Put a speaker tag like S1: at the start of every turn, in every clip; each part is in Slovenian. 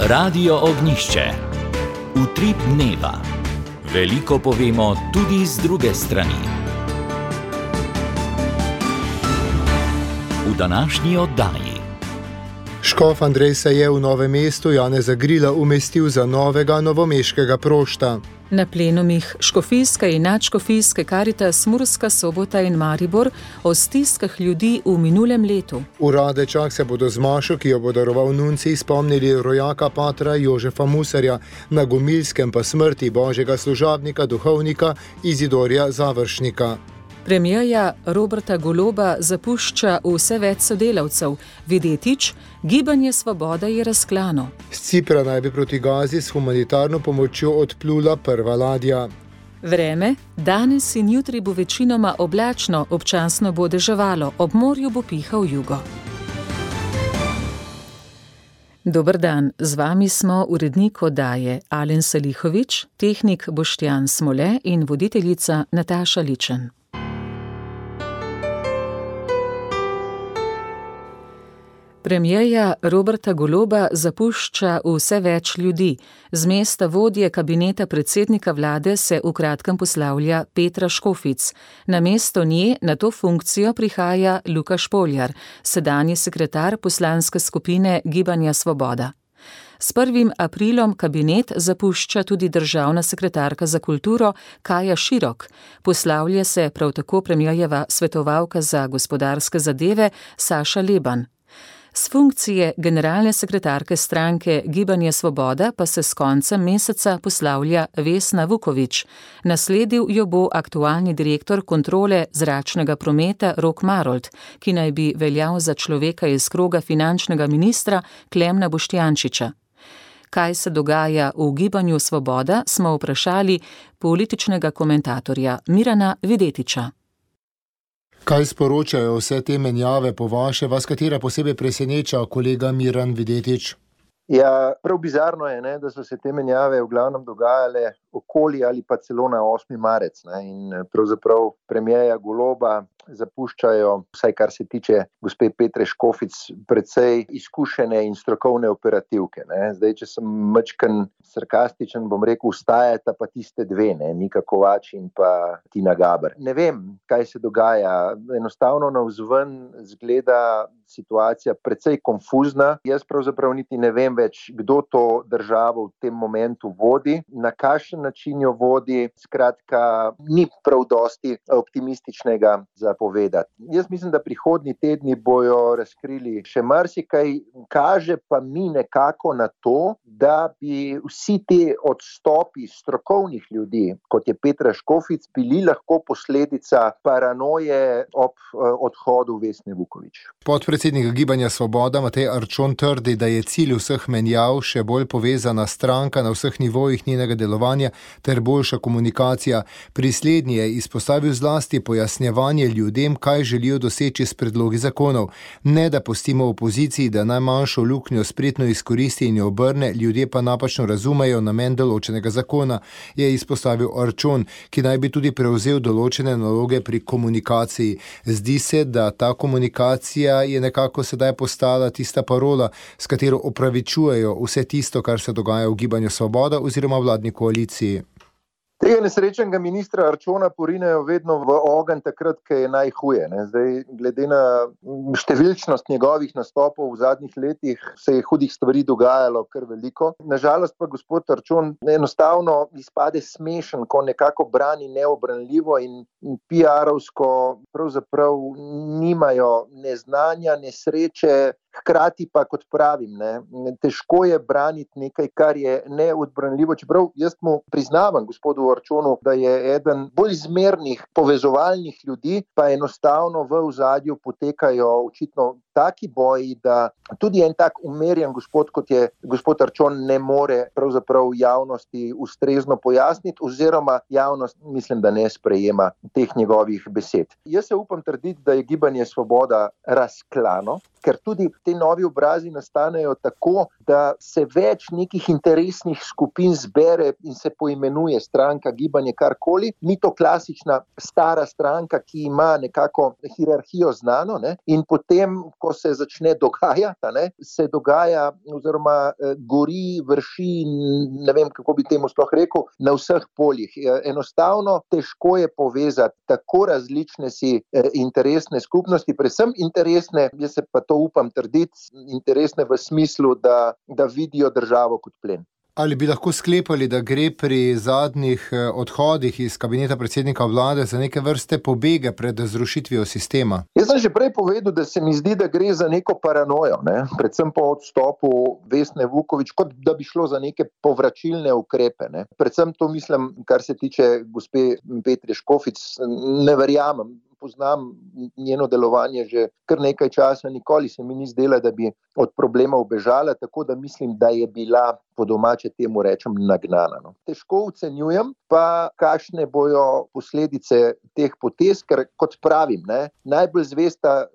S1: Radio Ognjišče. Utrip dneva. Veliko povemo tudi z druge strani. V današnji oddaji.
S2: Škof Andrej se je v Novem mestu Janeza Grila umestil za novega novomeškega prošta.
S3: Na plenumih škofijske in nadškofijske Karitas Murska Sobota in Maribor o stiskah ljudi v minulem letu.
S2: V Radečah se bodo z mašo, ki jo bo daroval nuncij, spomnili rojaka patra Jožefa Musarja, na Gomilskem pa smrti božjega služabnika, duhovnika Izidorja Završnika.
S3: Premierja Roberta Goloba zapušča vse več sodelavcev. Videtič, Gibanje Svoboda je razklano.
S2: Z Cipra naj bi proti Gazi s humanitarno pomočjo odplula prva ladja.
S3: Vreme, danes in jutri bo večinoma oblačno, občasno bo deževalo, ob morju bo pihal jugo. Dober dan, z vami smo urednik oddaje Alen Salihovič, tehnik Boštjan Smole in voditeljica Nataša Ličen. Premierja Roberta Goloba zapušča vse več ljudi. Z mesta vodje kabineta predsednika vlade se v kratkem poslavlja Petra Škofic. Namesto nje na to funkcijo prihaja Luka Špoljar, sedanji sekretar poslanske skupine Gibanja Svoboda. S 1. aprilom kabinet zapušča tudi državna sekretarka za kulturo Kaja Širok. Poslavlja se prav tako premierjeva svetovalka za gospodarske zadeve Saša Leban. S funkcije generalne sekretarke stranke Gibanje Svoboda pa se s koncem meseca poslavlja Vesna Vuković. Nasledil jo bo aktualni direktor kontrole zračnega prometa Rok Marolt, ki naj bi veljal za človeka iz kroga finančnega ministra Klemna Boštjančiča. Kaj se dogaja v Gibanju Svoboda, smo vprašali političnega komentatorja Mirana Videtiča.
S2: Kaj sporočajo vse te menjave po vaše, vas katera posebej preseneča, kolega Miran Videtič?
S4: Ja, prav bizarno je, da so se te menjave v glavnem dogajale okoli ali pa celo na 8. marec. In pravzaprav premierja Goloba zapuščajo, vsaj kar se tiče gospe Petre Škofic, precej izkušene in strokovne operativke. Zdaj, če sem majčken sarkastičen, bom rekel, ustajata pa tiste dve, Nika Kovač in pa Tina Gaber. Ne vem, kaj se dogaja. Enostavno navzven zgleda situacija precej konfuzna. Jaz pravzaprav niti ne vem več, kdo to državo v tem momentu vodi, na kakšen način jo vodi. Skratka, ni prav dosti optimističnega za povedati. Jaz mislim, da prihodnji tedni bojo razkrili še marsikaj, kaže pa mi nekako na to, da bi vsi te odstopi strokovnih ljudi, kot je Petra Škofic, bili lahko posledica paranoje ob odhodu Vesne Vuković.
S2: Podpredsednik Gibanja Svoboda Matej Arčon trdi, da je cilj vseh menjav še bolj povezana stranka na vseh nivojih njenega delovanja ter boljša komunikacija. Pri slednji je izpostavil zlasti pojasnjevanje ljudem, kaj želijo doseči s predlogi zakonov. Ne da pustimo opoziciji, da najmanjšo luknjo spretno izkoristi in jo obrne, ljudje pa napačno razumejo namen določenega zakona, je izpostavil Arčon, ki naj bi tudi prevzel določene naloge pri komunikaciji. Zdi se, da ta komunikacija je nekako sedaj postala tista parola, s katero opravičujejo vse tisto, kar se dogaja v Gibanju Svoboda oziroma vladni koaliciji.
S4: Tega nesrečnega ministra Arčona porinejo vedno v ogenj takrat, ko je najhuje. Zdaj, glede na številčnost njegovih nastopov v zadnjih letih, se je hudih stvari dogajalo kar veliko. Nažalost pa gospod Arčon enostavno izpade smešen, ko nekako brani neobranljivo in PR-ovsko pravzaprav nimajo ne znanja, ne sreče. Hkrati pa, kot pravim, težko je braniti nekaj, kar je neodbranljivo, čeprav jaz mu priznavam gospodu Arčonu, da je eden bolj zmernih povezovalnih ljudi, pa enostavno v ozadju potekajo očitno taki boji, da tudi en tak umerjen gospod, kot je gospod Arčon, ne more pravzaprav javnosti ustrezno pojasniti, oziroma javnost mislim, da ne sprejema teh njegovih besed. Jaz se upam trditi, da je Gibanje Svoboda razklano, ker tudi te novi obrazi nastanejo tako, da se več nekih interesnih skupin zbere in se poimenuje stranka, gibanje, karkoli. Ni to klasična stara stranka, ki ima nekako hierarhijo znano, in potem, ko ko se začne dogajati, se dogaja oziroma gori, vrši, ne vem, kako bi temu sploh rekel, na vseh poljih. Enostavno težko je povezati tako različne si interesne skupnosti, predvsem interesne, jaz se pa to upam trditi, interesne v smislu, da vidijo državo kot plen.
S2: Ali bi lahko sklepali, da gre pri zadnjih odhodih iz kabineta predsednika vlade za neke vrste pobege pred zrušitvijo sistema?
S4: Jaz sem že prej povedal, da se mi zdi, da gre za neko paranojo, predvsem po odstopu Vesne Vuković, kot da bi šlo za neke povračilne ukrepe. Predvsem to mislim, kar se tiče gospe Petre Škofic, ne verjamem. Poznam njeno delovanje že kar nekaj časa, nikoli se mi ni zdela, da bi od problema ubežala, tako da mislim, da je bila, po domače temu rečem, nagnana. Težko ocenjujem pa, kakšne bojo posledice teh potez, ker kot pravim, najbolj zvesta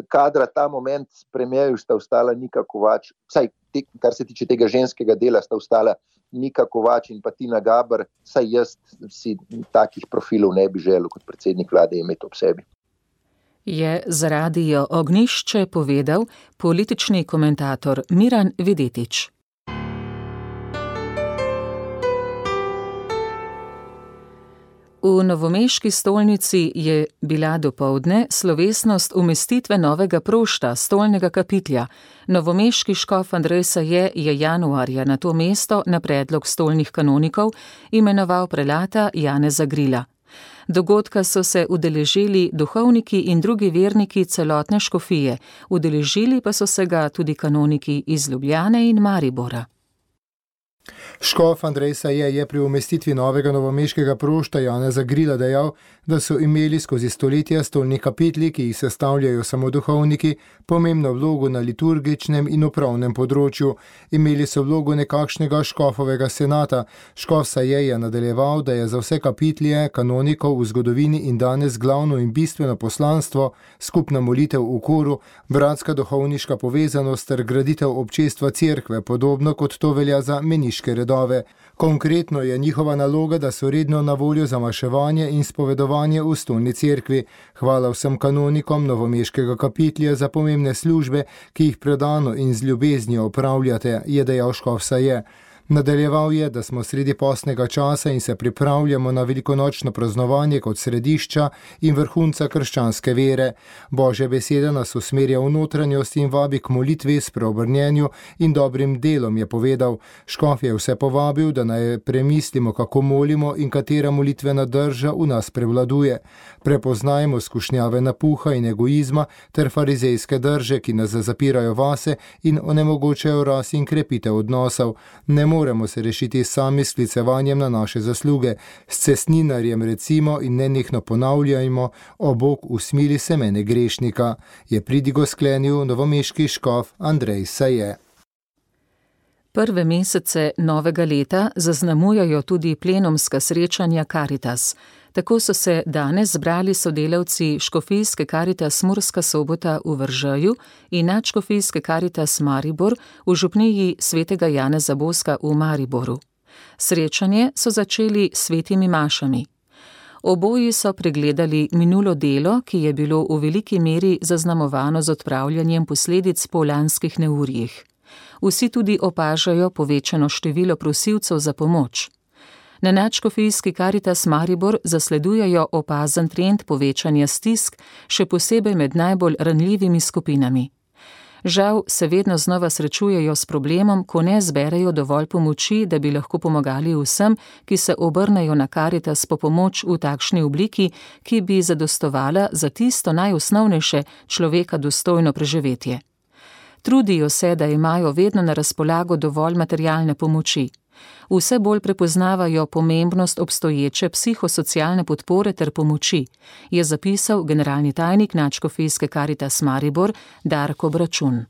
S4: kadra ta moment premierju sta ostala Nika Kovač, vsaj kar se tiče tega ženskega dela, sta ostala Nika Kovač in pa Tina Gaber, saj jaz si takih profilov ne bi želel kot predsednik vlade imeti ob sebi.
S3: Je za Radio Ognjišče povedal politični komentator Miran Videtič. V novomeški stolnici je bila dopoldne slovesnost umestitve novega prošta, stolnega kapitlja. Novomeški škof Andrej Saje je januarja na to mesto na predlog stolnih kanonikov imenoval prelata Janeza Grila. Dogodka so se udeležili duhovniki in drugi verniki celotne škofije, udeležili pa so se ga tudi kanoniki iz Ljubljane in Maribora.
S2: Škof Andrej Saje je pri umestitvi novega novomeškega prošta Janeza Grila dejal, da so imeli skozi stoletja stolni kapitli, ki jih sestavljajo samo duhovniki, pomembno vlogo na liturgičnem in upravnem področju. Imeli so vlogo nekakšnega škofovega senata. Škof Saje je nadaljeval, da je za vse kapitlje kanonikov v zgodovini in danes glavno in bistveno poslanstvo, skupna molitev v koru, bratska duhovniška povezanost ter graditev občestva cerkve, podobno kot to velja za meniške redove. Konkretno je njihova naloga, da so redno na voljo za maševanje in spovedovanje v stolni cerkvi. Hvala vsem kanonikom novomeškega kapitlja za pomembne službe, ki jih predano in z ljubeznijo opravljate, je dejal škof Saje. Nadaljeval je, da smo sredi postnega časa in se pripravljamo na velikonočno praznovanje kot središča in vrhunca krščanske vere. Božja beseda nas usmerja v notranjost in vabi k molitvi, spreobrnjenju in dobrim delom, je povedal. Škof je vse povabil, da naj premislimo, kako molimo in katera molitvena drža v nas prevladuje. Prepoznajmo skušnjave napuha in egoizma ter farizejske drže, ki nas zapirajo vase in onemogočajo rast in krepitev odnosov. Ne moremo se rešiti sami s sklicevanjem na naše zasluge, s cestninarjem recimo in nenehno ponavljajmo: o Bog, usmili se mene grešnika, je pridigo sklenil novomeški škof Andrej Saje.
S3: Prve mesece novega leta zaznamujajo tudi plenumska srečanja Karitas. Tako so se danes zbrali sodelavci škofijske Karitas Murska Sobota v Veržeju in nadškofijske Karitas Maribor v župniji svetega Janeza Boska v Mariboru. Srečanje so začeli s svetimi mašami. Oboji so pregledali minulo delo, ki je bilo v veliki meri zaznamovano z odpravljanjem posledic po lanskih neurjih. Vsi tudi opažajo povečano število prosilcev za pomoč. Na nadškofijski Karitas Maribor zasledujejo opazen trend povečanja stisk, še posebej med najbolj ranljivimi skupinami. Žal se vedno znova srečujejo s problemom, ko ne zberejo dovolj pomoči, da bi lahko pomagali vsem, ki se obrnejo na Karitas po pomoč v takšni obliki, ki bi zadostovala za tisto najosnovnejše, človeka dostojno preživetje. Trudijo se, da imajo vedno na razpolago dovolj materialne pomoči. Vse bolj prepoznavajo pomembnost obstoječe psihosocialne podpore ter pomoči, je zapisal generalni tajnik nadškofijske Karitas Maribor Darko Bračun.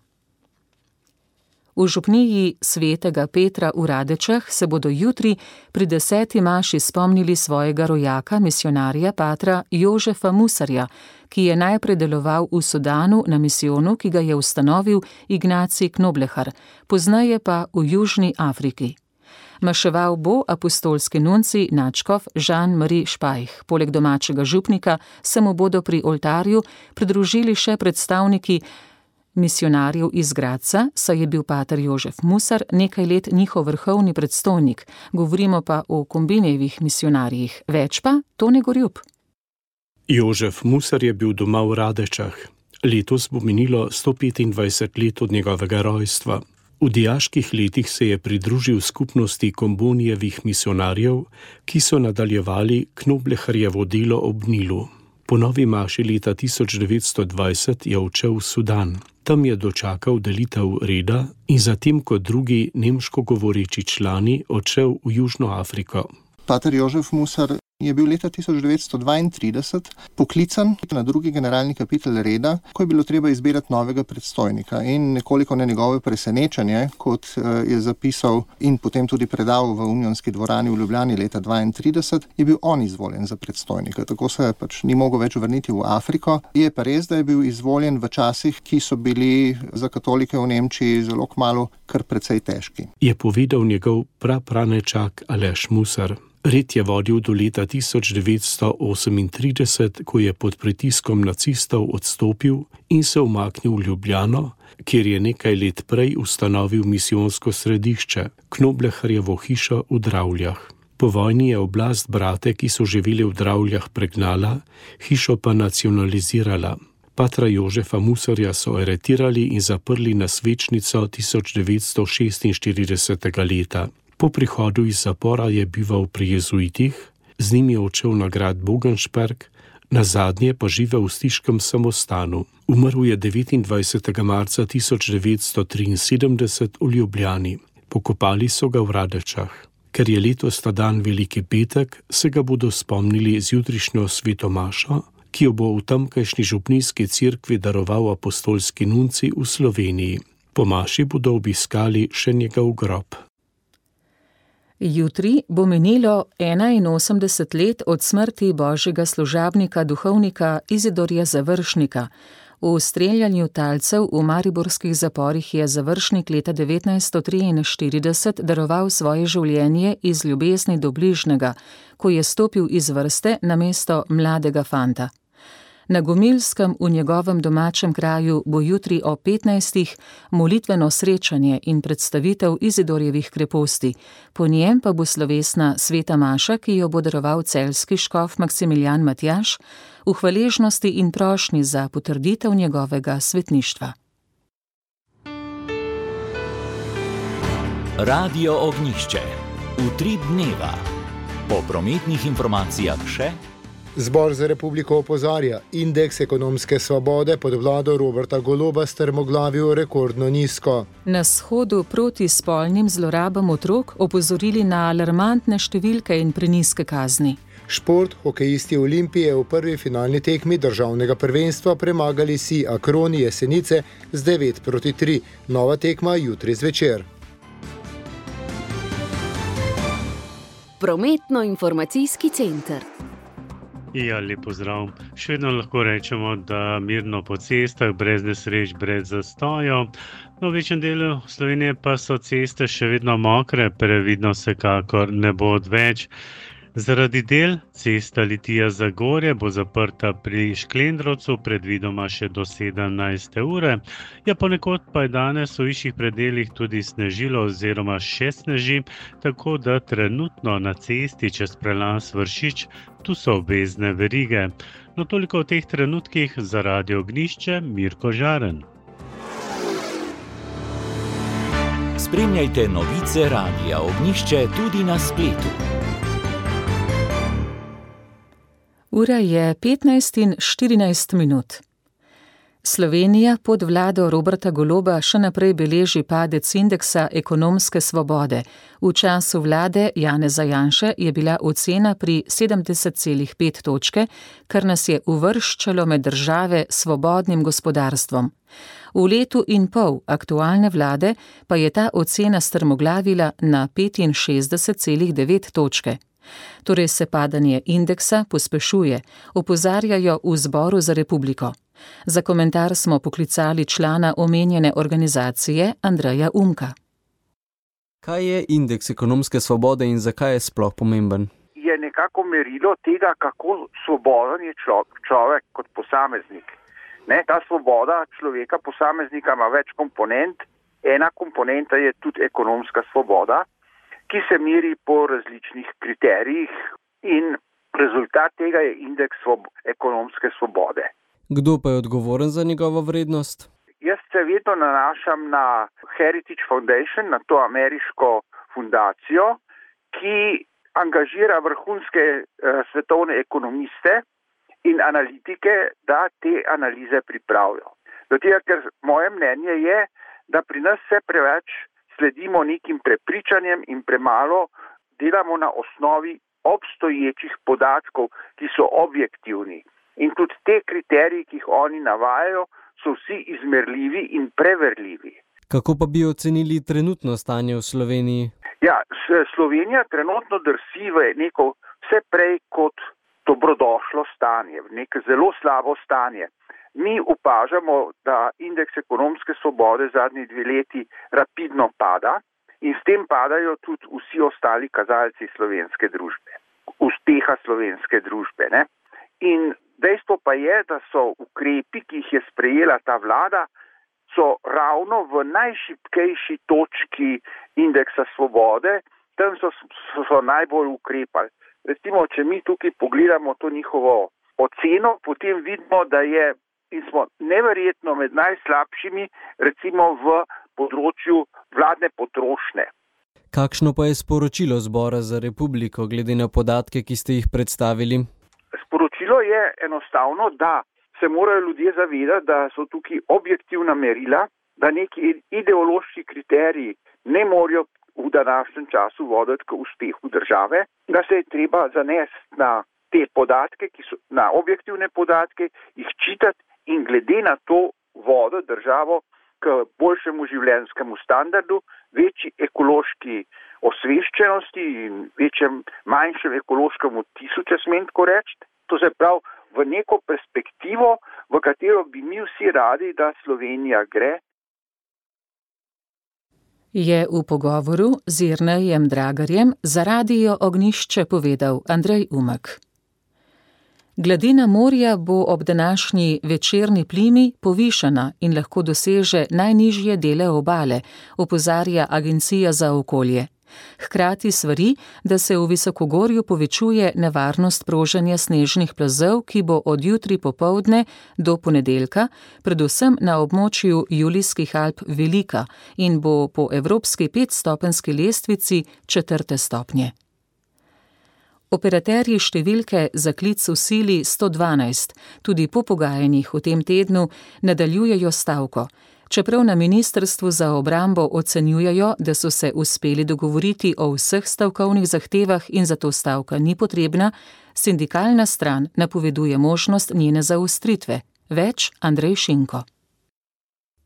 S3: V župniji svetega Petra v Radečah se bodo jutri pri 10. maši spomnili svojega rojaka, misionarja patra Jožefa Musarja, ki je najprej deloval v Sudanu na misijonu, ki ga je ustanovil Ignacij Knoblehar, pozneje pa v Južni Afriki. Maševal bo apostolski nuncij nadškof Jean-Marie Špajh. Poleg domačega župnika se mu bodo pri oltarju pridružili še predstavniki misionarjev iz Gradca, saj je bil pater Jožef Musar nekaj let njihov vrhovni predstojnik, govorimo pa o Kombinejevih misionarjih. Več pa Tone Gorjup.
S5: Jožef Musar je bil doma v Radečah. Letos bo minilo 125 let od njegovega rojstva. V dijaških letih se je pridružil skupnosti Kombinejevih misionarjev, ki so nadaljevali Knobleharjevo delo ob Nilu. Po novi maši leta 1920 je odšel v Sudan. Tam je dočakal delitev reda in zatem kot drugi nemško govoreči člani odšel v Južno Afriko.
S6: Pater Jožef Musar je bil leta 1932 poklican na drugi generalni kapitel reda, ko je bilo treba izbirati novega predstojnika. In nekoliko na njegovo presenečenje, kot je zapisal in potem tudi predal v Unionski dvorani v Ljubljani leta 1932, je bil on izvoljen za predstojnika. Tako se pač ni mogel več vrniti v Afriko. Je pa res, da je bil izvoljen v časih, ki so bili za katolike v Nemčiji zelo kmalu kar precej težki.
S5: Je povedal njegov prapranečak Aleš Musar. Red je vodil do leta 1938, ko je pod pritiskom nacistov odstopil in se umaknil v Ljubljano, kjer je nekaj let prej ustanovil misijonsko središče, Knobleharjevo hišo v Dravljah. Po vojni je oblast brate, ki so živeli v Dravljah, pregnala, hišo pa nacionalizirala. Patra Jožefa Musarja so aretirali in zaprli na svečnico 1946. leta. Po prihodu iz zapora je bival pri jezuitih, z njimi je odšel na grad Bogenšperg, nazadnje pa živel v stiškem samostanu. Umrl je 29. marca 1973 v Ljubljani. Pokopali so ga v Radečah. Ker je letos ta dan Veliki petek, se ga bodo spomnili z jutrišnjo sveto mašo, ki jo bo v tamkajšnji župnijski cerkvi daroval apostolski nunci v Sloveniji. Po maši bodo obiskali še njegov grob.
S3: Jutri bo minilo 81 let od smrti božjega služabnika, duhovnika Izidorja Završnika. V streljanju talcev v mariborskih zaporih je Završnik leta 1943 daroval svoje življenje iz ljubezni do bližnjega, ko je stopil iz vrste namesto mladega fanta. Na Gomilskem v njegovem domačem kraju bo jutri o 15. molitveno srečanje in predstavitev Izidorjevih kreposti. Po njem pa bo slovesna sveta maša, ki jo bo daroval celjski škof Maksimilijan Matjaž, v hvaležnosti in prošnji za potrditev njegovega svetništva.
S1: Radio Ognjišče. Utrip dneva. Po prometnih informacijah še.
S2: Zbor za republiko opozarja, indeks ekonomske svobode pod vlado Roberta Goloba strmoglavil rekordno nizko.
S3: Na shodu proti spolnim zlorabam otrok opozorili na alarmantne številke in prenizke kazni.
S2: Šport, hokejisti Olimpije v prvi finalni tekmi državnega prvenstva premagali si Akroni Jesenice z 9-3. Nova tekma jutri zvečer.
S7: Prometno-informacijski center.
S8: Ja, lep pozdrav. Še vedno lahko rečemo, da mirno po cestah, brez nesreč, brez zastojev. V večjem delu Slovenije pa so ceste še vedno mokre, previdno vsekakor ne bo odveč. Zaradi del cesta Litija-Zagorje bo zaprta pri Šklendrovcu, predvidoma še do 17. ure. Ja, ponekod pa je danes v višjih predelih tudi snežilo oziroma še sneži, tako da trenutno na cesti čez prelaz Vršič tu so obvezne verige. No, toliko v teh trenutkih za Radio Ognjišče, Mirko Žaren.
S1: Spremljajte novice Radia Ognjišče tudi na spletu.
S3: Ura je 15:14. Slovenija pod vlado Roberta Goloba še naprej beleži padec indeksa ekonomske svobode. V času vlade Janeza Janše je bila ocena pri 70,5 točke, kar nas je uvrščalo med države s svobodnim gospodarstvom. V letu in pol aktualne vlade pa je ta ocena strmoglavila na 65,9 točke. Torej se padanje indeksa pospešuje, opozarjajo v Zboru za republiko. Za komentar smo poklicali člana omenjene organizacije Andreja Umka.
S9: Kaj je indeks ekonomske svobode in zakaj je sploh pomemben?
S10: Je nekako merilo tega, kako svoboden je človek kot posameznik. Ta svoboda človeka, posameznika ima več komponent. Ena komponenta je tudi ekonomska svoboda, ki se meri po različnih kriterijih in rezultat tega je indeks ekonomske svobode.
S9: Kdo pa je odgovoren za njegovo vrednost?
S10: Jaz se vedno nanašam na Heritage Foundation, na to ameriško fundacijo, ki angažira vrhunske svetovne ekonomiste in analitike, da te analize pripravijo. Zato, ker moje mnenje je, da pri nas se preveč sledimo nekim prepričanjem in premalo delamo na osnovi obstoječih podatkov, ki so objektivni. In tudi te kriteriji, ki jih oni navajajo, so vsi izmerljivi in preverljivi.
S9: Kako pa bi ocenili trenutno stanje v Sloveniji?
S10: Ja, Slovenija trenutno drsi v neko vse prej kot dobrodošlo stanje, v neko zelo slabo stanje. Mi opažamo, da indeks ekonomske svobode zadnji 2 leti rapidno pada in s tem padajo tudi vsi ostali kazalci slovenske družbe, uspeha slovenske družbe. In dejstvo pa je, da so ukrepi, ki jih je sprejela ta vlada, so ravno v najšibkejši točki indeksa svobode, tam so najbolj ukrepali. Recimo, če mi tukaj pogledamo to njihovo oceno, potem vidimo, da je in smo neverjetno med najslabšimi, recimo v področju vladne potrošnje.
S9: Kakšno pa je sporočilo Zbora za republiko, glede na podatke, ki ste jih predstavili?
S10: Sporočilo je enostavno, da se morajo ljudje zavedati, da so tukaj objektivna merila, da neki ideološki kriteriji ne morajo v današnjem času voditi k uspehu države, da se je treba zanesti na te podatke, ki so na objektivne podatke, jih čitati in glede na to vodo državo k boljšemu življenjskemu standardu, večji ekološki osveščenosti in manjšem ekološkem odtisu, če smem tako reči. To se pravi v neko perspektivo, v katero bi mi vsi radi, da Slovenija gre.
S3: Je v pogovoru z Jernejem Dragarjem za Radio Ognjišče povedal Andrej Umek. Gladina morja bo ob današnji večerni plimi povišana in lahko doseže najnižje dele obale, opozarja Agencija za okolje. Hkrati svari, da se v visokogorju povečuje nevarnost proženja snežnih plazov, ki bo od jutri popoldne do ponedeljka, predvsem na območju Julijskih Alp velika in bo po evropski 5-stopenjski lestvici 4. stopnje. Operaterji številke za klic v sili 112 tudi po pogajanjih v tem tednu nadaljujejo stavko. Čeprav na Ministrstvu za obrambo ocenjujejo, da so se uspeli dogovoriti o vseh stavkovnih zahtevah in zato stavka ni potrebna, sindikalna stran napoveduje možnost njene zaostritve. Več Andrej Šinko.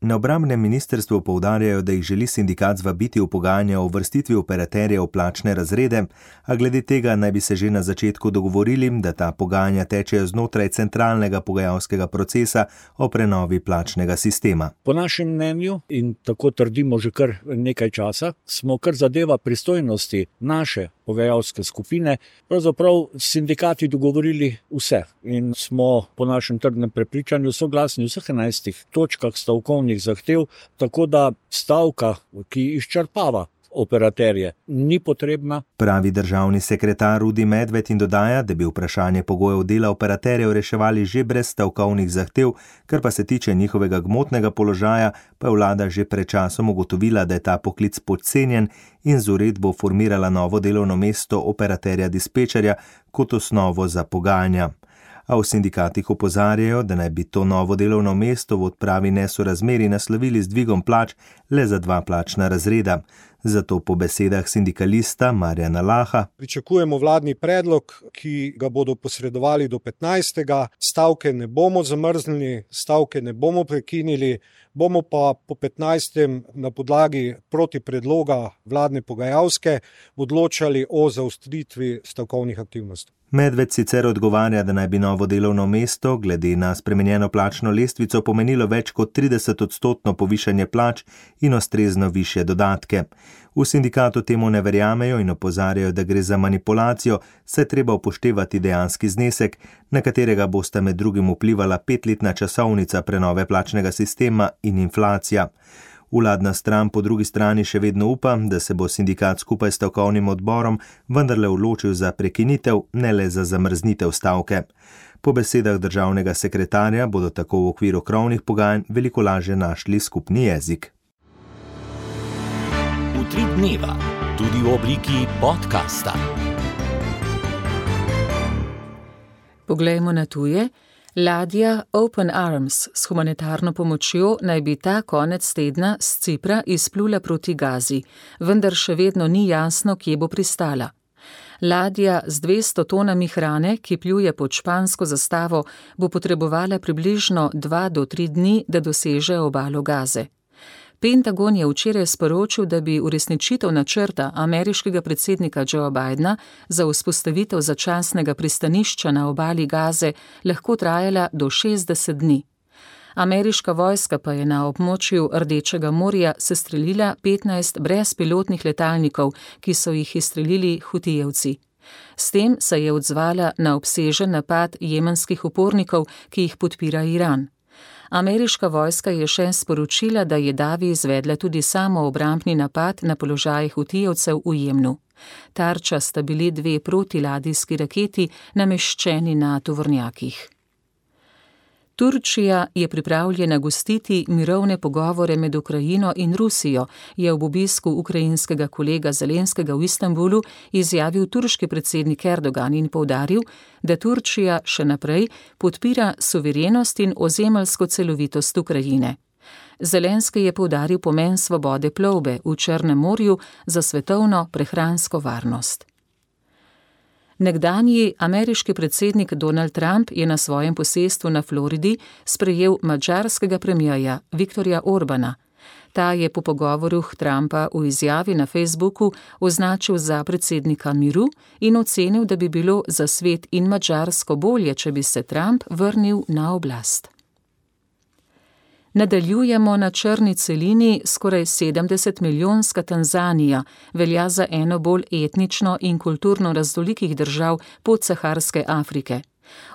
S11: Na obrambnem ministrstvu poudarjajo, da jih želi sindikat zvabiti v pogajanja o uvrstitvi operaterjev v plačne razrede, a glede tega naj bi se že na začetku dogovorili, da ta pogajanja tečejo znotraj centralnega pogajalskega procesa o prenovi plačnega sistema.
S12: Po našem mnenju, in tako trdimo že kar nekaj časa, smo kar zadeva pristojnosti naše pogajalske skupine, pravzaprav sindikati dogovorili vse in smo po našem trdnem prepričanju soglasni v vseh 11 točkah stavkovnih zahtev, tako da stavka, ki izčrpava operaterje, ni potrebna.
S11: Pravi državni sekretar Rudi Medved in dodaja, da bi vprašanje pogojev dela operaterjev reševali že brez stavkovnih zahtev, kar pa se tiče njihovega gmotnega položaja, pa je vlada že pred časom ugotovila, da je ta poklic podcenjen in z uredbo formirala novo delovno mesto operaterja dispečerja kot osnovo za pogajanja. A v sindikatih opozarjajo, da naj bi to novo delovno mesto v odpravi nesorazmerij naslovili z dvigom plač le za 2 plačna razreda. Zato po besedah sindikalista Marjana Laha
S13: pričakujemo vladni predlog, ki ga bodo posredovali do 15. Stavke ne bomo zamrznili, stavke ne bomo prekinili, bomo pa po 15. na podlagi proti predloga vladne pogajalske odločali o zaostritvi stavkovnih aktivnosti.
S11: Medved sicer odgovarja, da naj bi novo delovno mesto glede na spremenjeno plačno lestvico pomenilo več kot 30% povišanje plač in ustrezno višje dodatke. V sindikatu temu ne verjamejo in opozarjajo, da gre za manipulacijo, saj treba upoštevati dejanski znesek, na katerega bosta med drugim vplivala 5-letna časovnica prenove plačnega sistema in inflacija. Vladna stran po drugi strani še vedno upa, da se bo sindikat skupaj s stavkovnim odborom vendarle odločil za prekinitev, ne le za zamrznitev stavke. Po besedah državnega sekretarja bodo tako v okviru krovnih pogajanj veliko lažje našli skupni jezik.
S1: Utrip dneva, tudi v obliki podcasta.
S3: Poglejmo na tuje. Ladja Open Arms s humanitarno pomočjo naj bi ta konec tedna s Cipra izplula proti Gazi, vendar še vedno ni jasno, kje bo pristala. Ladja z 200 tonami hrane, ki pluje pod špansko zastavo, bo potrebovala približno 2 do 3 dni, da doseže obalo Gaze. Pentagon je včeraj sporočil, da bi uresničitev načrta ameriškega predsednika Joea Bidena za vzpostavitev začasnega pristanišča na obali Gaze lahko trajala do 60 dni. Ameriška vojska pa je na območju Rdečega morja sestrelila 15 brezpilotnih letalnikov, ki so jih izstrelili Hutijevci. S tem se je odzvala na obsežen napad jemenskih upornikov, ki jih podpira Iran. Ameriška vojska je še sporočila, da je Davi izvedla tudi samoobrambni napad na položajih Hutijevcev v Jemnu. Tarča sta bili 2 protiladijski raketi nameščeni na tovornjakih. Turčija je pripravljena gostiti mirovne pogovore med Ukrajino in Rusijo, je ob obisku ukrajinskega kolega Zelenskega v Istanbulu izjavil turški predsednik Erdogan in poudaril, da Turčija še naprej podpira suverenost in ozemeljsko celovitost Ukrajine. Zelenski je poudaril pomen svobode plovbe v Črnem morju za svetovno prehransko varnost. Nekdanji ameriški predsednik Donald Trump je na svojem posestvu na Floridi sprejel madžarskega premierja Viktorja Orbana. Ta je po pogovoru Trumpa v izjavi na Facebooku označil za predsednika miru in ocenil, da bi bilo za svet in Madžarsko bolje, če bi se Trump vrnil na oblast. Nadaljujemo na črni celini. Skoraj 70-milijonska Tanzanija velja za eno bolj etnično in kulturno raznolikih držav podsaharske Afrike.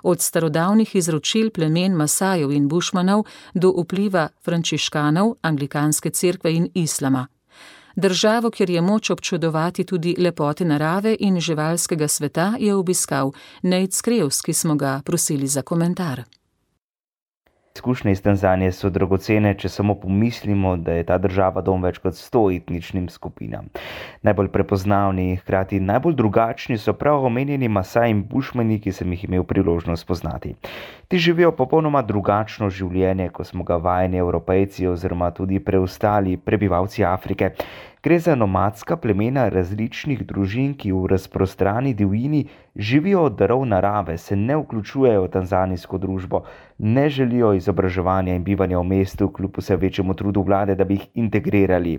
S3: Od starodavnih izročil plemen Masajev in Bušmanov do vpliva frančiškanov, anglikanske cerkve in islama. Državo, kjer je moč občudovati tudi lepote narave in živalskega sveta, je obiskal Nate Skrevs, ki smo ga prosili za komentar.
S14: Izkušnje iz Tanzanije so dragocene, če samo pomislimo, da je ta država dom več kot 100 etničnim skupinam. Najbolj prepoznavni in hkrati najbolj drugačni so prav omenjeni Masai in Bušmani, ki sem jih imel priložnost poznati. Ti živijo popolnoma drugačno življenje, kot smo ga vajeni Evropejci oziroma tudi preostali prebivalci Afrike. Gre za nomadska plemena različnih družin, ki v razprostrani divjini živijo od darov narave, se ne vključujejo v tanzanijsko družbo, ne želijo izobraževanja in bivanja v mestu, kljub vse večjemu trudu vlade, da bi jih integrirali.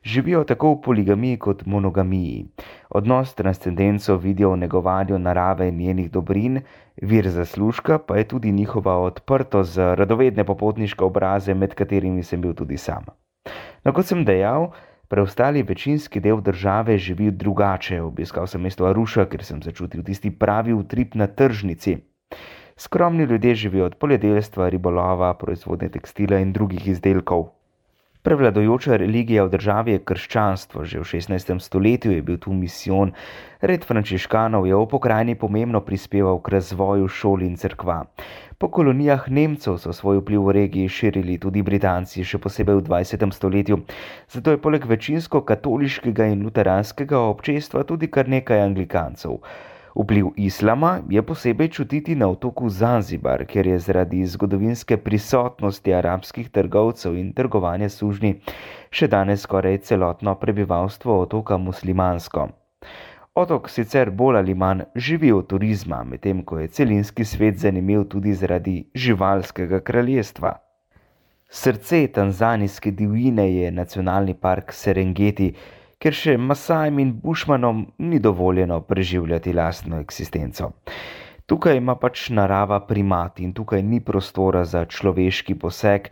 S14: Živijo tako v poligamiji kot monogamiji. Odnos transcendenco vidijo v negovanju narave in njenih dobrin, vir zaslužka pa je tudi njihova odprtost za radovedne popotniške obraze, med katerimi sem bil tudi sam. No, kot sem dejal, preostali večinski del države živi drugače. Obiskal sem mesto Aruša, ker sem začutil tisti pravi utrip na tržnici. Skromni ljudje živijo od poljedelstva, ribolova, proizvodnje tekstila in drugih izdelkov. Prevladujoča religija v državi je krščanstvo. Že v 16. stoletju je bil tu misijon. Red frančiškanov je v pokrajini pomembno prispeval k razvoju šol in cerkva. Po kolonijah Nemcev so svoj vpliv v regiji širili tudi Britanci, še posebej v 20. stoletju. Zato je poleg večinsko katoliškega in luteranskega občestva tudi kar nekaj anglikancev. Vpliv islama je posebej čutiti na otoku Zanzibar, kjer je zaradi zgodovinske prisotnosti arabskih trgovcev in trgovanja sužnji še danes skoraj celotno prebivalstvo otoka muslimansko. Otok sicer bolj ali manj živi od turizma, medtem ko je celinski svet zanimiv tudi zaradi živalskega kraljestva. Srce tanzanijske divjine je nacionalni park Serengeti, ker še Masajem in Bušmanom ni dovoljeno preživljati lastno eksistenco. Tukaj ima pač narava primat in tukaj ni prostora za človeški poseg,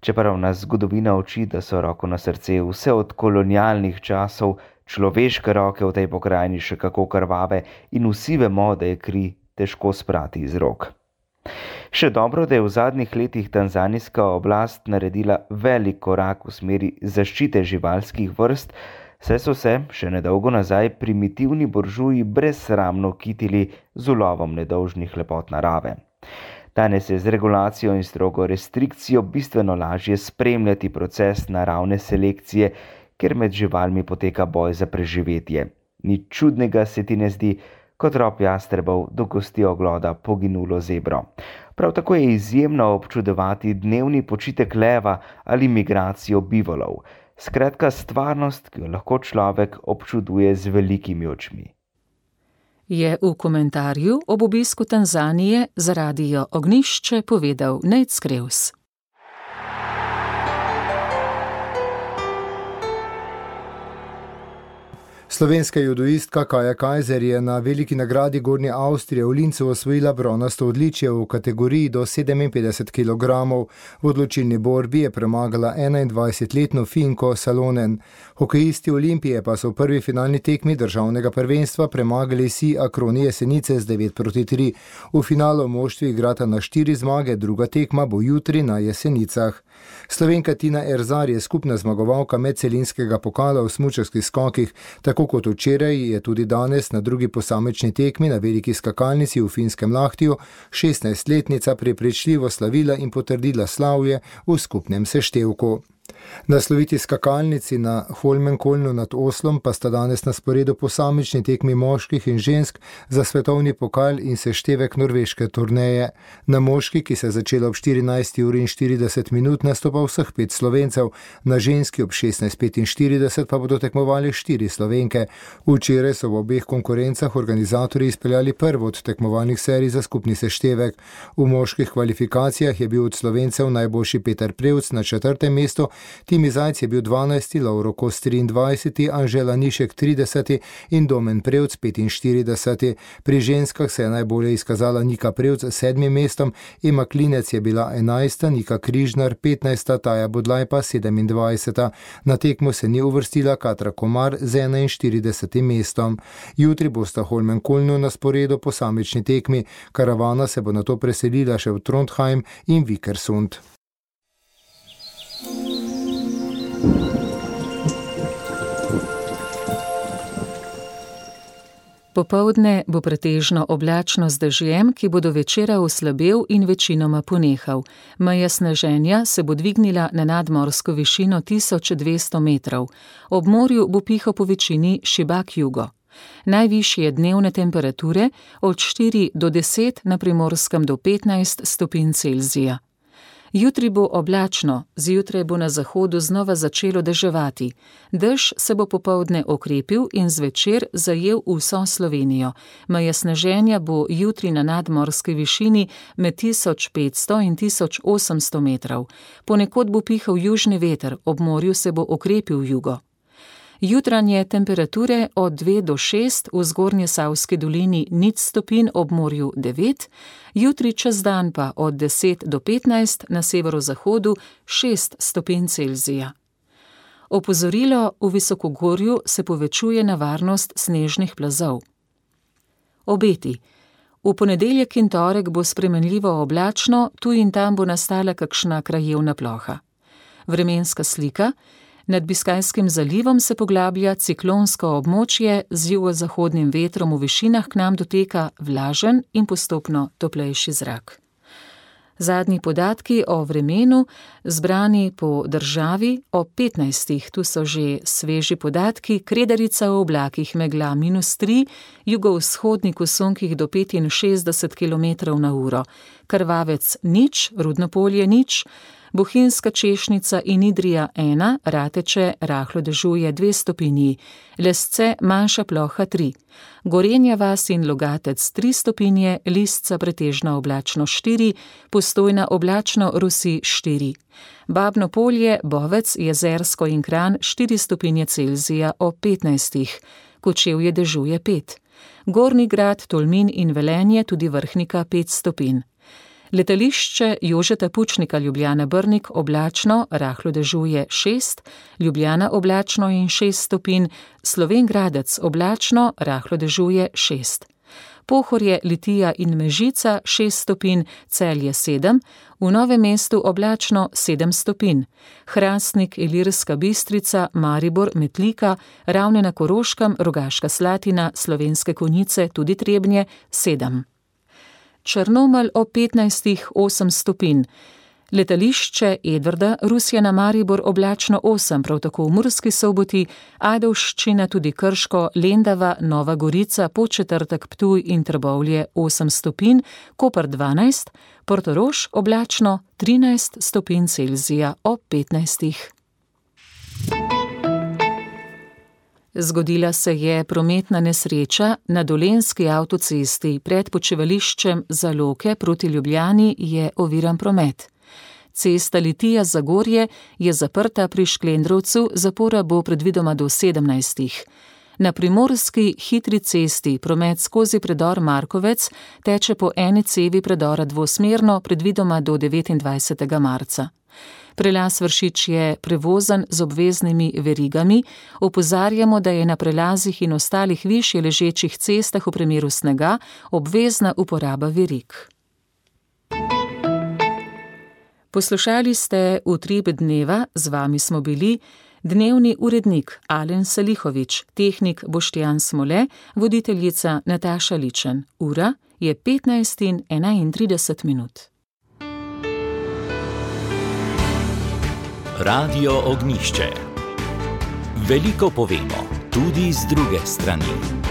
S14: Čeprav nas zgodovina uči, da so roko na srce vse od kolonialnih časov človeške roke v tej pokrajini še kako krvave in vsi vemo, da je kri težko sprati iz rok. Še dobro, da je v zadnjih letih tanzanijska oblast naredila velik korak v smeri zaščite živalskih vrst, saj so se še nedolgo nazaj primitivni buržuji brezsramno kitili z ulovom nedolžnih lepot narave. Danes je z regulacijo in strogo restrikcijo bistveno lažje spremljati proces naravne selekcije, ker med živalmi poteka boj za preživetje. Nič čudnega se ti ne zdi, ko trop jastrebov dogosti ogloda poginulo zebro. Prav tako je izjemno občudovati dnevni počitek leva ali migracijo bivolov. Skratka, stvarnost, ki jo lahko človek občuduje z velikimi očmi.
S3: Je v komentarju ob obisku Tanzanije za Radio Ognjišče povedal Nejc Krevs.
S2: Slovenska judoistka Kaja Kajzer je na veliki nagradi Gornje Avstrije v Lincu osvojila bronasto odličje v kategoriji do 57 kg. V odločilni borbi je premagala 21-letno Finko Salonen. Hokejisti Olimpije pa so v prvi finalni tekmi državnega prvenstva premagali Si Akroni Jesenice z 9-3. V finalu moštvi igrata na 4 zmage, druga tekma bo jutri na Jesenicah. Slovenka Tina Erzar je skupna zmagovalka medcelinskega pokala v smučarskih skokih. Tako kot včeraj je tudi danes na drugi posamični tekmi na veliki skakalnici v Finskem Lahtiju 16-letnica prepričljivo slavila in potrdila slavje v skupnem seštevku. Na sloviti skakalnici na Holmenkolnu nad Oslom pa sta danes na sporedu posamični tekmi moških in žensk za svetovni pokal in seštevek norveške turneje. Na moški, ki se je začela ob 14:40, nastopa vseh 5 Slovencev, na ženski ob 16:45 pa bodo tekmovali 4 Slovenke. Včeraj so v obeh konkurencah organizatorji izpeljali prvo od tekmovalnih serij za skupni seštevek. V moških kvalifikacijah je bil od Slovencev najboljši Peter Prevc na 4. mestu, Timi Zajc je bil 12., Lovro Kos 23., Anžela Nišek 30. in Domen Prevc 45. Pri ženskah se je najbolje izkazala Nika Prevc s 7. mestom, Ema Klinec je bila 11., Nika Križnar 15., Taja Budlaj pa 27. Na tekmo se ni uvrstila Katra Komar z 41. mestom. Jutri bosta Holmenkolnu na sporedu posamični tekmi, karavana se bo nato preselila še v Trondheim in Vikersund.
S3: Popoldne bo pretežno oblačno z dežjem, ki bo do večera oslabel in večinoma ponehal. Meja sneženja se bo dvignila na nadmorsko višino 1200 metrov. Ob morju bo pihal po večini šibak jugo. Najvišje dnevne temperature od 4 do 10, na Primorskem do 15 stopinj Celzija. Jutri bo oblačno, zjutraj bo na zahodu znova začelo deževati. Dež se bo popoldne okrepil in zvečer zajel vso Slovenijo. Meja sneženja bo jutri na nadmorski višini med 1500 in 1800 metrov. Ponekod bo pihal južni veter, ob morju se bo okrepil jugo. Jutranje temperature od 2 do 6, v Zgornjesavski dolini 0 stopinj, ob morju 9, jutri čez dan pa od 10 do 15, na severozahodu 6 stopinj Celzija. Opozorilo: v visokogorju se povečuje nevarnost snežnih plazov. Obeti. V ponedeljek in torek bo spremenljivo oblačno, tu in tam bo nastala kakšna krajevna ploha. Vremenska slika. Nad Biskajskim zalivom se poglablja ciklonsko območje, z jugozahodnim vetrom v višinah k nam doteka vlažen in postopno toplejši zrak. Zadnji podatki o vremenu, zbrani po državi ob 15. Tu so že sveži podatki: Kredarica v oblakih, megla -3, jugovzhodnik v sunkih do 65 km/h, Krvavec 0, Rudnopolje 0, Bohinjska Češnica in Idrija 1, Rateče rahlo dežuje 2 stopinji, Lesce manjša ploha 3, Gorenja vas in Logatec 3 stopinje, Lisca pretežno oblačno 4, Postojna oblačno, Rusi 4, Babno Polje, Bovec, Jezersko in Kranj 4 stopinje Celzija ob 15, Kočevje dežuje 5, Gornji Grad, Tolmin in Velenje, tudi Vrhnika 5 stopinj. Letališče Jožeta Pučnika Ljubljana-Brnik oblačno, rahlo dežuje 6, Ljubljana oblačno in 6 stopinj, Slovenj Gradec oblačno, rahlo dežuje 6. Pohorje, Litija in Mežica 6 stopinj, Celje 7, v Novem mestu oblačno 7 stopinj, Hrastnik, Ilirska Bistrica, Maribor, Metlika, Ravne na Koroškem, Rogaška Slatina, Slovenske Konjice, tudi Trebnje 7. Črnomelj ob 15, 8 stopinj. Letališče Edvarda, Rusija na Maribor oblačno 8, prav tako v Murski Soboti, Ajdovščina, tudi Krško, Lendava, Nova Gorica, Podčetrtek, Ptuj in Trbovlje 8 stopinj, Koper 12, Portorož oblačno 13 stopinj Celzija ob 15. Zgodila se je prometna nesreča na Dolenjski avtocesti. Pred počivališčem Zaloke proti Ljubljani je oviran promet. Cesta Litija-Zagorje je zaprta pri Šklendrovcu, zapora bo predvidoma do 17. Na primorski hitri cesti promet skozi predor Markovec teče po eni cevi predora dvosmerno, predvidoma do 29. marca. Prelaz Vršič je prevozen z obveznimi verigami. Opozarjamo, da je na prelazih in ostalih višje ležečih cestah v primeru snega obvezna uporaba verig. Poslušali ste Utrip dneva, z vami smo bili dnevni urednik Alen Salihovič, tehnik Boštjan Smole, voditeljica Nataša Ličen. Ura je 15:31.
S1: Radio Ognjišče. Veliko povemo, tudi z druge strani.